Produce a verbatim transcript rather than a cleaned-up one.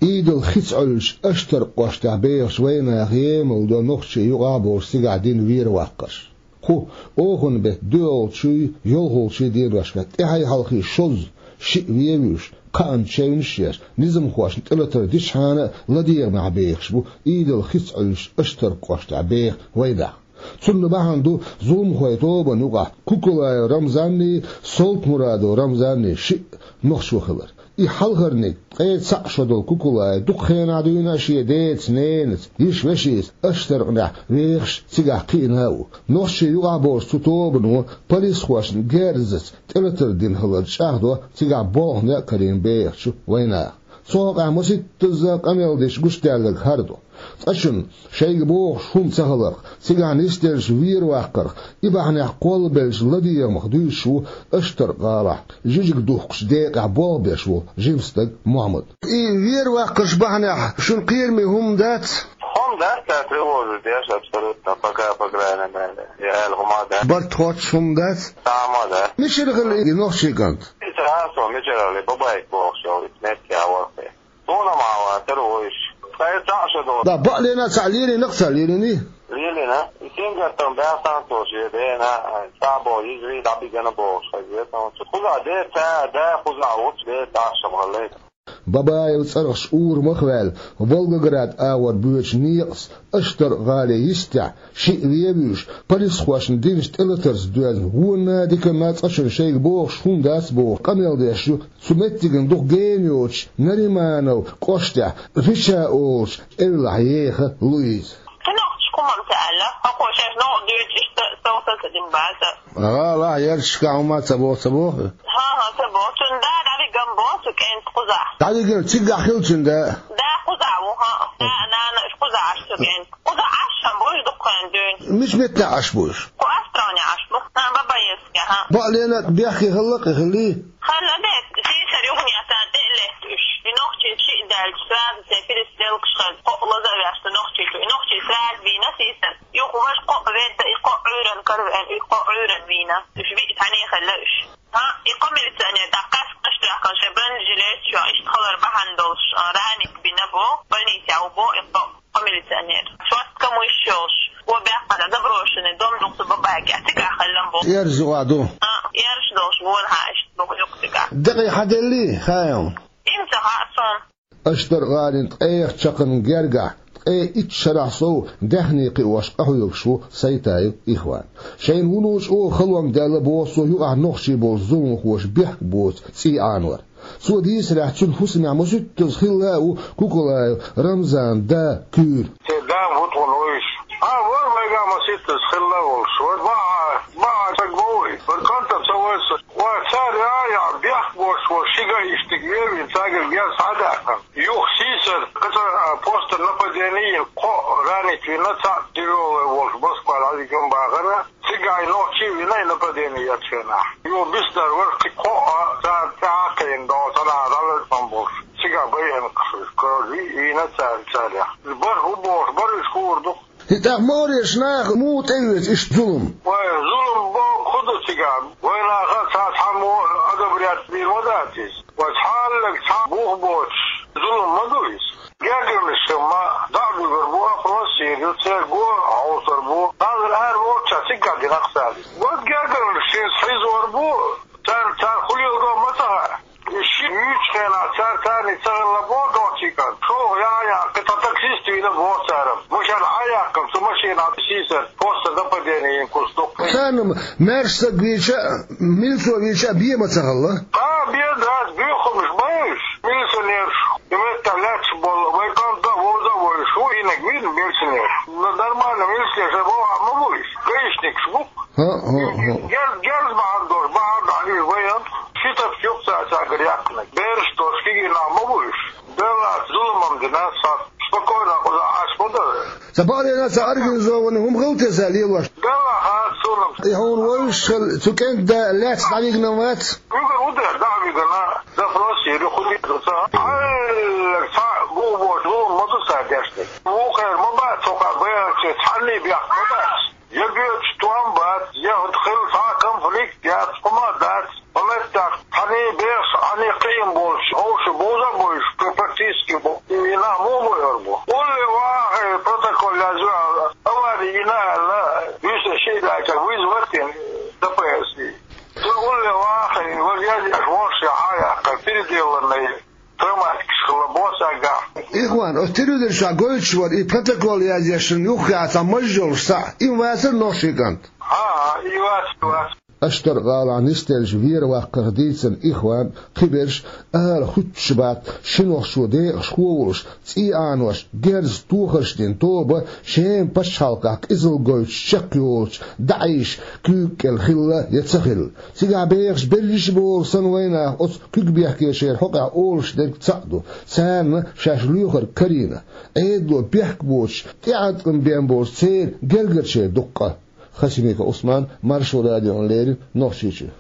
Идал хица Ӏуьллучу Аштаркх кӀоштахь бехачу вайнаха емал до нохчийн юкъахь а болуш цигахь дина вер-ваккхарш. Кху оханан беттан доьалгӀачуй, йолхалгӀачуй деношкахь тӀаьхьий-хьалхий шозза, шиъ вен а вуьйш, кхаанна чевнаш а еш, низамхошна тӀелатар дичхьана а ладегӀамехь бехаш бу Идал хица Ӏуьллучу Аштаркх кӀоштахь беха вайнах. Цунна бахьана ду зуламхойн тобанна юкъахь Кукулаев Рамзанний, Солтмурадов Рамзанний шиъ нохчо хилар. И хьалхарниг, ткъе цхьаъ шо долу Кукулаев, дукха хенахь дуьйна а шен деца, ненаца, йиша-вешица Аштаркхнехь вехаш, цигахь кхиъна а ву. Нохчийн юкъахь а болуш цу тобано полисхошна герзаца тӀелатар дина хилар чӀагӀдо цигахь болх-некъ карийна бехачу вайнаха. Цу хьокъехь масийттазза къамел деш гучудаьлларг хӀара ду. Цкъачунна шайга бохуш хӀума ца хиларх, цигахь нисделлачу вер-ваккхарх, и бахьанехь кхоллабеллачу ладегӀамах дуьйцуш ву Аштаркх-гӀалахь жижиг духкучу декъехь болх беш волу жима стаг Мохьмад. И вер-ваккхарш бахьанехь шуна кхераме хӀума дац? ХӀума дац, ца тревожить деш абсолютно, пока, по крайней мере. Я аьлла хӀума дац. Барт хоттуш хӀума дац? Цхьа хӀума дац. Мичара хилла и нохчийн кӀант? Иза хьан со мичара хилла, Бабайка бохуш йолу, иза метте а вара. Суна ма вацара вуьйш. Ткъе цхьаъ шо долу. Да, бакъдерг а цхьаъ лелийнарг ца лелийний? Лелийна. И сингаттам баьхна цо шен дена, цхьаъ боху, иза вий дӀабигана бохуш хезира. Кхузахь де ца, да, кхузахь вуц, де тӀаккха ма хиллий. Бабаев цӀарахчу урамах а ваьлла, Волгоград агӀор боьдучу некъаца Аштаркх-гӀалин йистехь, шиъ вен а вуьйш, полисхошна динчу тӀелатарца доьзна, вонна а, диканна а цкъачунна шайга бохуш хӀума дац бохуш къамел деш ю цу меттигна дукха гена йоцучу Нариманов кӀоштехь Рича олучу эвлахь еха Луиза. Кхин нохчашка хӀумма ца аьлла, хӀокхо шаьш новкъа доьдуш иштта совца ца дина бац. ГӀалахь ярташкахь хӀума ца боху, ца боху? ХӀан-хӀа, ца боху. Цуьнан да дӀавигна боху цу кӀентан кхузахь. ДӀавигна, цигахь хилла цуьнан да? Да кхузахь ву, хӀан. Да, нана, уьш кхузахь Ӏаш цу кӀентан. Кхузахь Ӏаш хӀан бу уьш дукха хенахь дуьйна. Мича меттехь Ӏаш бу уьш? Кху Островнехь Ӏаш бу. ХӀан, Бабаевскехь, хӀан. Бакъдерг а бехке хилла, кхин хиллий? Хилла деза, сийсара юханехьа царна тӀе а летта уьш. И нохчий шиъ даьлча, сразу церан перестрелкаш хезна, кхоъ лаза а ваьлла нохчий чу. И нохчий сразу вийна сийсара. Юха важа кхоъ ведда, и кхоъ Ӏуьйранна каравеана, и кхоъ Ӏуьйранна вийна. Уьш виъ цхьаьний хилла уьш. ХӀан, и кхо милиционер дӀакхаьчча, кӀаж тоьхкина шайн бронежилеташ йолуш, иштта хилар бахьана долуш, а, ранить бина боху, больницехь ву боху и кхо, кхо милиционер. Шорта камуьйш йолуш, вон баьккхина заброшенный дом ду-кх цу Бабайкехь, цигахь хилла боху. Эрза юкъахь ду? ХӀан, эрзаш долуш, вонахьа иштта боху юкъа цигахь. Декъий хьан деллий, хаам? Иман ца хаьа суна. Аштаркх-гӀалин ткъех чаккхарма гергахь, ткъе итт шарахь сов даьхни кхиош къахьоьгуш ву Сайтаев Ихван. Шайна вуно чӀогӀа халонга даьлла боху цо юкъахь нохчий болчу зуламхоша бехк боцу цӀий Ӏанор. Цо дийцарехь, цуьнан хӀусамехь масийттазза хилла а ву Кукулаев Рамзанан да Куьйра. Те дам хӀу тхуна вуьйш? А, вара вайгахь масийттазза хилла а волуш. Вара баӀа, баӀа стаг ма вуй. Вара кӀант а ца вайса. Ва цара яа-яа бехк боцуш волу ши гаишник вевина, цаьргара герз схьадаьккхина. Юха сийсара, кхин цхьа, а, постер нападение йина, кхоъ ранить вина, цхьаъ тяжёлый волуш Москва дӀавигна бахара. Цигахь и нохчий а вина, и нападение ечу хенахь. Юха биснарг вара кхин кхоъ а, цара тӀаьхьа а кхиъна, догӀу цхьанхьа дӀалазам болуш. Цигахь байина кхин, вийна цара, царех. БархӀ ву бохуш, бархӀ уьш хуур ду. ХӀинца тӀаккха могӀарерчу наха муха тӀеоьцу иштта зулам? Вай, зулам боху хӀун ду цигахь? Вайнаха цхьа цхьаммо одобрять бийр ма дац иза. Вай, цхьа а лерг цхьа бух боцуш зулам ма ду иза. Гергарнаш ма дӀа а буьгур бу, опрос йийр ю, церан го хьовсур бу. Хьалхара ара волчохь цигахь дина кхузахь. Вай, гергарнаш шена хьийзор бу, царна цара хӀун леладо ма ца хаьа. И шиъ вуьйчу хенахь цара царний ца хилла боху дохчий кӀант. ШолгӀа яа-яа кхин цхьа таксист вийна боху цара. Машен Ӏа а яьккхина, цу машенахь сийсара постер нападение йина куц ду. Царна маьрша стаг вийча а, милицо вийча а бен ма ца хилла? Кхин бен дац, буьйхамаш бан уьш. Милиционераш, и меттехь лаьтташ болу, вай кӀант а, вовза а вуьйш, хӀун йинарг вийна милиционераш. Но нормально милиционераш боху а ма бу уьш. Гаишникаш бу. ХӀаъ, хӀаъ, хӀаъ. Герз, герз бахьана долуш, бахьана долуш, вай а ши тапча юкъа цара цаьргара яьккхинарг. Бераш долуш кегий нах ма бу уьш. Деллаца зулам дина, сан спокойно кхузахь Ӏаш ма дара. Сан бакъдерг а сан организованный хӀума хила те сан лелош? Делла хаьа суна. И хьуна вовзаш хила, цу кӀентан да лаьцна дӀавигна вац? Вигар ву дера, дӀа а вигана, запрос йийр ю, хӀун дийр ду ца. Хьаллаг цхьа гух боцу зулам ма ду цара деш дерг. Вукхара ма бац, цо кхаъ баянче цхьанний бехк ма бац. Я боьдуш тӀом бац, я хӀуд хилла цхьа а конфликт яц, хӀума а дац. Ма меттах, цхьанний бехаш, цхьанний кхиам болуш, ховша бовза а бовзуш, практически бо-, и Травматикаш хилла босса агахь. Ихван, оцу телевизор чохь гойтуш вара, и протокол язъеш шуна юххехь цхьа маж йолуш схьа, и ма вацара нохчийн кӀант? ХӀан, и вац, и вац. Аштар-гӀалахь нисделлачу вер-ваккхарх дийцина Ихван, кхиберш ала хуьттуш бац, ши нохчо декъашхо а волуш, цӀий Ӏанош, герзаца тохарш дина тоба Шеман пачхьалкхехь къизалла гойтуш чекхйолучу даӀийша куьйга кӀел хилла я ца хилла. Цигахь бехаш берриш а бохург санна вайнах оцу куьг бехкечеран хьокъехь олуш дерг цхьаъ ду, царна шаьш лоьхург карийна. Ӏедало бехк боцуш, тӀеӀаткъам бен болчу церан гергарчеран дуккха. Хасимиков Ӏусман, Маршо радиона леррина, Нохчийчоь.